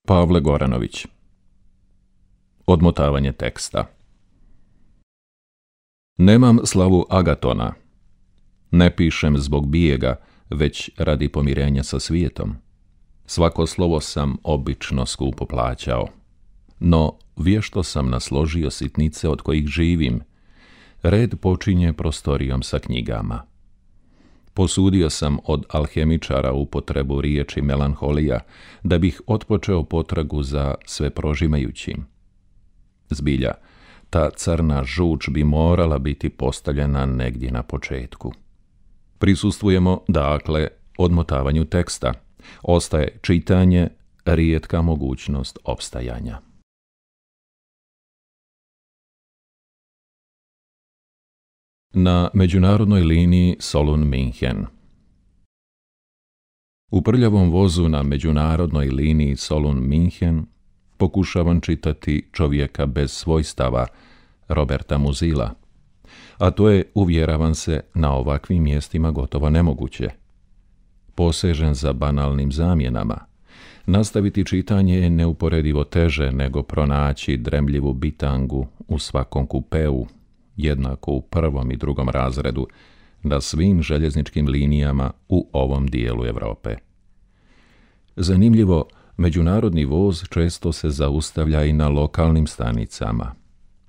Pavle Goranović. Odmotavanje teksta. Nemam slavu Agatona. Ne pišem zbog bijega, već radi pomirenja sa svijetom. Svako slovo sam obično skupo plaćao. No, vješto sam nasložio sitnice od kojih živim. Red počinje prostorijom sa knjigama. Posudio sam od alhemičara upotrebu riječi melanholija, da bih otpočeo potragu za sve prožimajućim. Zbilja, ta crna žuč bi morala biti postavljena negdje na početku. Prisustvujemo, dakle, odmotavanju teksta. Ostaje čitanje, rijetka mogućnost opstajanja. Na međunarodnoj liniji Solun-Minhen. U prljavom vozu na međunarodnoj liniji Solun-Minhen pokušavam čitati Čovjeka bez svojstava Roberta Muzila, a to je, uvjeravam se, na ovakvim mjestima gotovo nemoguće. Posežen za banalnim zamjenama. Nastaviti čitanje je neuporedivo teže nego pronaći dremljivu bitangu u svakom kupeu, jednako u prvom i drugom razredu, na svim željezničkim linijama u ovom dijelu Europe. Zanimljivo, međunarodni voz često se zaustavlja i na lokalnim stanicama.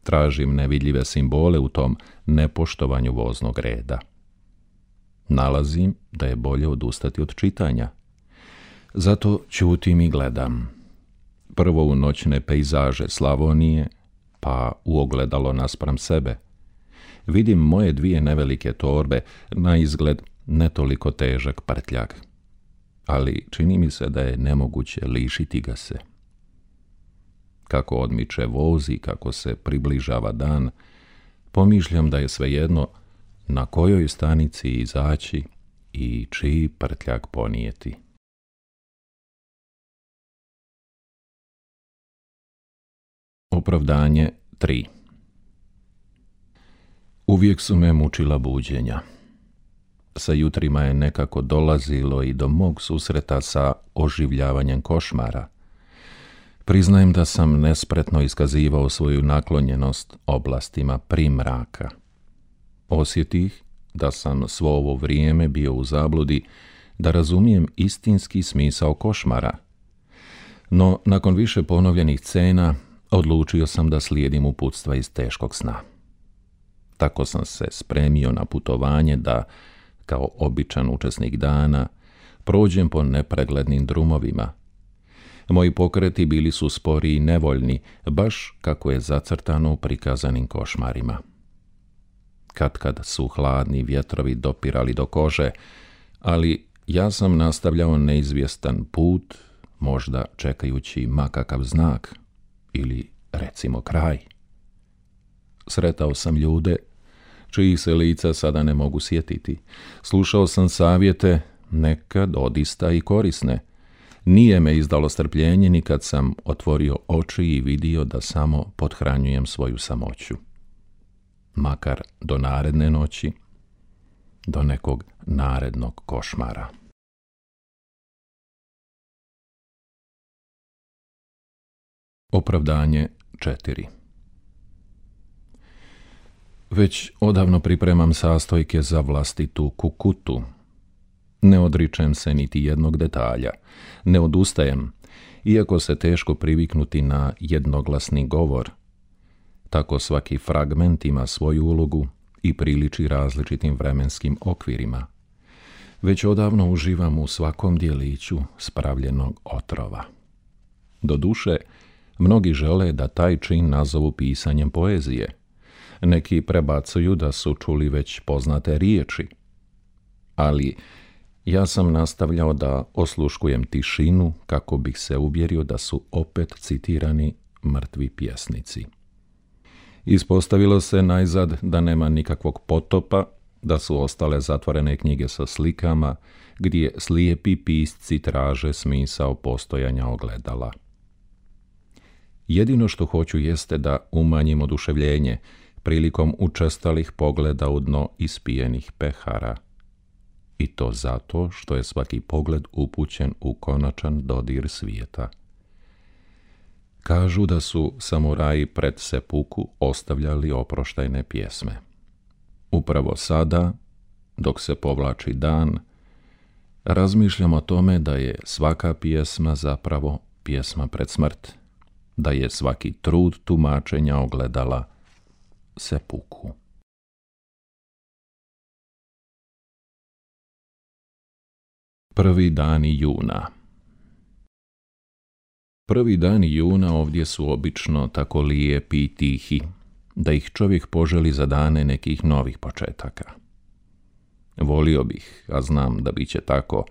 Tražim nevidljive simbole u tom nepoštovanju voznog reda. Nalazim da je bolje odustati od čitanja. Zato ćutim i gledam. Prvo u noćne pejzaže Slavonije, pa u ogledalo naspram sebe. Vidim moje dvije nevelike torbe, na izgled ne toliko težak prtljag. Ali čini mi se da je nemoguće lišiti ga se. Kako odmiče voz i kako se približava dan, pomišljam da je svejedno na kojoj stanici izaći i čiji prtljag ponijeti. Opravdanje 3. Uvijek su me mučila buđenja. Sa jutrima je nekako dolazilo i do mog susreta sa oživljavanjem košmara. Priznajem da sam nespretno iskazivao svoju naklonjenost oblastima primraka. Osjetih da sam svo ovo vrijeme bio u zabludi da razumijem istinski smisao košmara. No, nakon više ponovljenih scena, odlučio sam da slijedim uputstva iz teškog sna. Tako sam se spremio na putovanje da, kao običan učesnik dana, prođem po nepreglednim drumovima. Moji pokreti bili su spori i nevoljni, baš kako je zacrtano u prikazanim košmarima. Katkad su hladni vjetrovi dopirali do kože, ali ja sam nastavljao neizvjestan put, možda čekajući makakav znak ili, recimo, kraj. Sretao sam ljude čijih se lica sada ne mogu sjetiti. Slušao sam savjete, nekad odista i korisne. Nije me izdalo strpljenje ni kad sam otvorio oči i vidio da samo pothranjujem svoju samoću. Makar do naredne noći, do nekog narednog košmara. Opravdanje 4. Već odavno pripremam sastojke za vlastitu kukutu. Ne odričem se niti jednog detalja, ne odustajem, iako se teško priviknuti na jednoglasni govor. Tako svaki fragment ima svoju ulogu i priliči različitim vremenskim okvirima. Već odavno uživam u svakom djeliću spravljenog otrova. Doduše, mnogi žele da taj čin nazovu pisanjem poezije. Neki prebacuju da su čuli već poznate riječi. Ali ja sam nastavljao da osluškujem tišinu kako bih se uvjerio da su opet citirani mrtvi pjesnici. Ispostavilo se najzad da nema nikakvog potopa, da su ostale zatvorene knjige sa slikama, gdje slijepi pisci traže smisao postojanja ogledala. Jedino što hoću jeste da umanjim oduševljenje prilikom učestalih pogleda u dno ispijenih pehara. I to zato što je svaki pogled upućen u konačan dodir svijeta. Kažu da su samuraji pred sepuku ostavljali oproštajne pjesme. Upravo sada, dok se povlači dan, razmišljam o tome da je svaka pjesma zapravo pjesma pred smrt, da je svaki trud tumačenja ogledala sepuku. Prvi dani juna. Prvi dani juna ovdje su obično tako lijepi i tihi, da ih čovjek poželi za dane nekih novih početaka. Volio bih, a znam da bit će tako,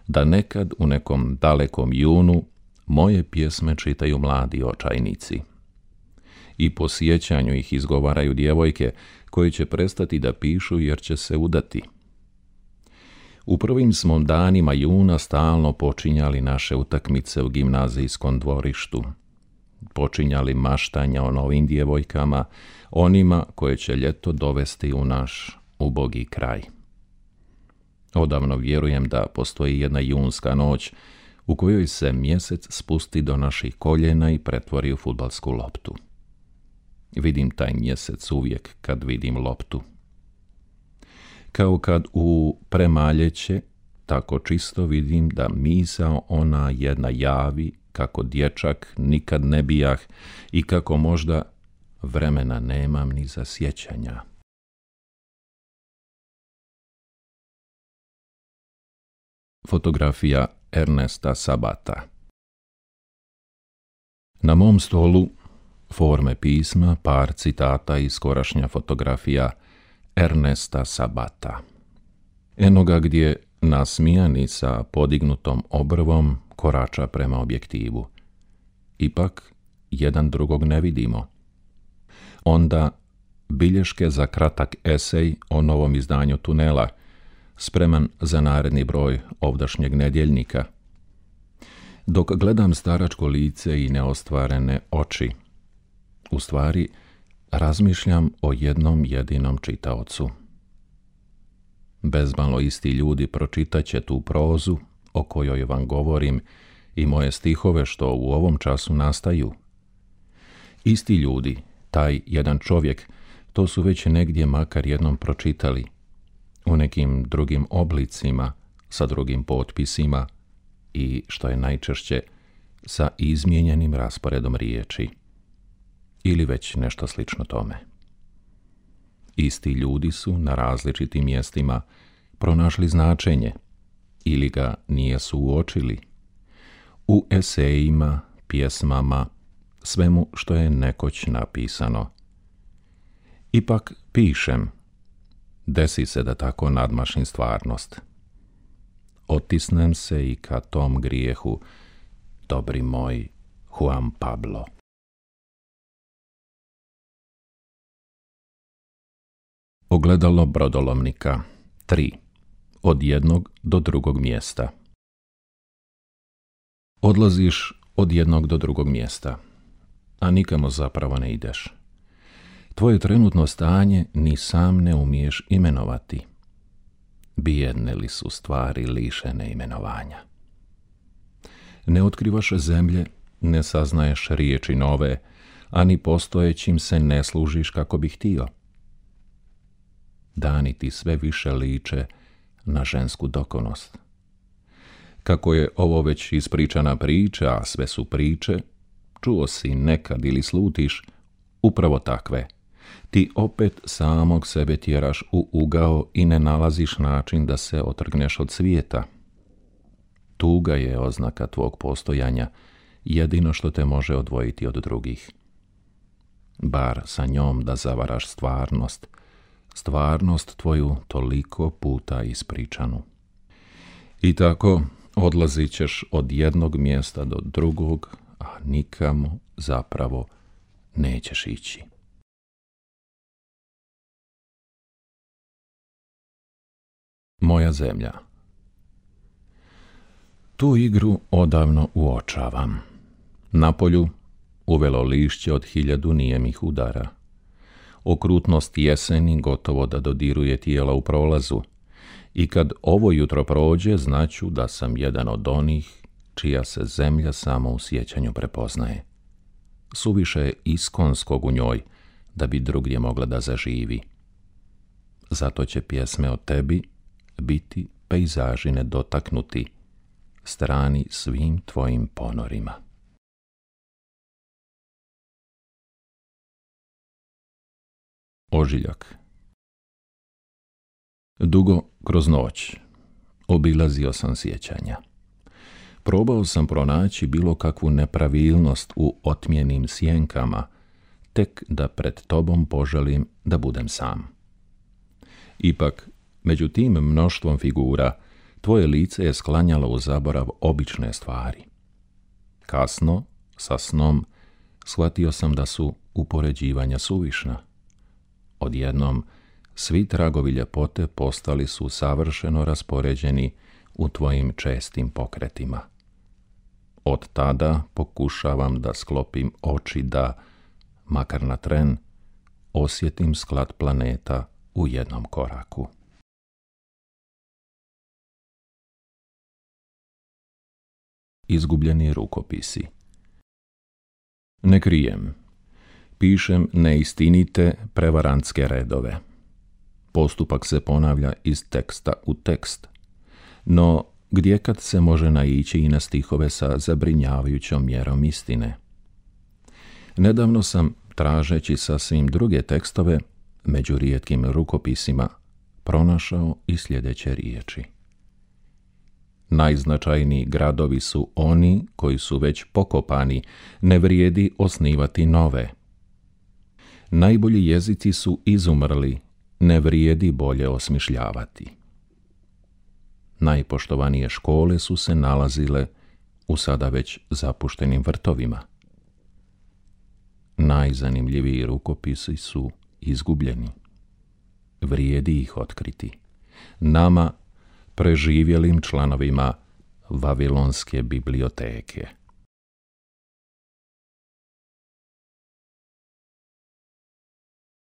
da nekad u nekom dalekom junu moje pjesme čitaju mladi očajnici. I po sjećanju ih izgovaraju djevojke koje će prestati da pišu jer će se udati. U prvim smo danima juna stalno počinjali naše utakmice u gimnazijskom dvorištu. Počinjali maštanja o novim djevojkama, onima koje će ljeto dovesti u naš ubogi kraj. Odavno vjerujem da postoji jedna junska noć u kojoj se mjesec spusti do naših koljena i pretvori u fudbalsku loptu. Vidim taj mjesec uvijek kad vidim loptu. Kao kad u premaljeće, tako čisto vidim da misao ona jedna javi, kako dječak nikad ne bijah i kako možda vremena nemam ni za sjećanja. Fotografija Ernesta Sabata. Na mom stolu forme pisma, par citata i skorašnja fotografija Ernesta Sabata. Eno ga gdje, nasmijani sa podignutom obrvom, korača prema objektivu. Ipak, jedan drugog ne vidimo. Onda, bilješke za kratak esej o novom izdanju Tunela, spreman za naredni broj ovdašnjeg nedjeljnika. Dok gledam staračko lice i neostvarene oči, u stvari, razmišljam o jednom jedinom čitaocu. Bezmalo isti ljudi pročitaće tu prozu o kojoj vam govorim i moje stihove što u ovom času nastaju. Isti ljudi, taj jedan čovjek, to su već negdje makar jednom pročitali, u nekim drugim oblicima, sa drugim potpisima i, što je najčešće, sa izmijenjenim rasporedom riječi. Ili već nešto slično tome. Isti ljudi su na različitim mjestima pronašli značenje ili ga nijesu uočili. U esejima, pjesmama, svemu što je nekoć napisano. Ipak pišem. Desi se da tako nadmašim stvarnost. Otisnem se i ka tom grijehu, dobri moj Juan Pablo. Ogledalo brodolomnika 3. Od jednog do drugog mjesta. Odlaziš od jednog do drugog mjesta, a nikamo zapravo ne ideš. Tvoje trenutno stanje ni sam ne umiješ imenovati. Bijedne li su stvari lišene imenovanja. Ne otkrivaš zemlje, ne saznaješ riječi nove, a ni postojećim se ne služiš kako bi htio. Dani ti sve više liče na žensku dokonost. Kako je ovo već ispričana priča, a sve su priče, čuo si nekad ili slutiš, upravo takve. Ti opet samog sebe tjeraš u ugao i ne nalaziš način da se otrgneš od svijeta. Tuga je oznaka tvog postojanja, jedino što te može odvojiti od drugih. Bar sa njom da zavaraš stvarnost tvoju toliko puta ispričanu. I tako odlazit ćeš od jednog mjesta do drugog, a nikamo zapravo nećeš ići. Moja zemlja. Tu igru odavno uočavam. Napolju uvelo lišće od 1000 nijemih udara. Okrutnost jeseni gotovo da dodiruje tijela u prolazu i kad ovo jutro prođe znaću da sam jedan od onih čija se zemlja samo u sjećanju prepoznaje. suviše je iskonskog u njoj da bi drugdje mogla da zaživi. Zato će pjesme o tebi biti pejzaži nedotaknuti, strani svim tvojim ponorima. Ožiljak. Dugo kroz noć obilazio sam sjećanja. Probao sam pronaći bilo kakvu nepravilnost u otmjenim sjenkama, tek da pred tobom poželim da budem sam. Ipak, među tim mnoštvom figura, tvoje lice je sklanjalo u zaborav obične stvari. Kasno, sa snom, shvatio sam da su upoređivanja suvišna. Odjednom, svi tragovi ljepote postali su savršeno raspoređeni u tvojim čestim pokretima. Od tada pokušavam da sklopim oči da, makar na tren, osjetim sklad planeta u jednom koraku. Izgubljeni rukopisi. Ne krijem. Pišem neistinite prevarantske redove. Postupak se ponavlja iz teksta u tekst. No, gdje kad se može naići i na stihove sa zabrinjavajućom mjerom istine? Nedavno sam, tražeći sasvim druge tekstove, među rijetkim rukopisima, pronašao i sljedeće riječi. Najznačajniji gradovi su oni koji su već pokopani, ne vrijedi osnivati nove. Najbolji jezici su izumrli, ne vrijedi bolje osmišljavati. Najpoštovanije škole su se nalazile u sada već zapuštenim vrtovima. Najzanimljiviji rukopisi su izgubljeni. Vrijedi ih otkriti. Nama, preživjelim članovima Vavilonske biblioteke.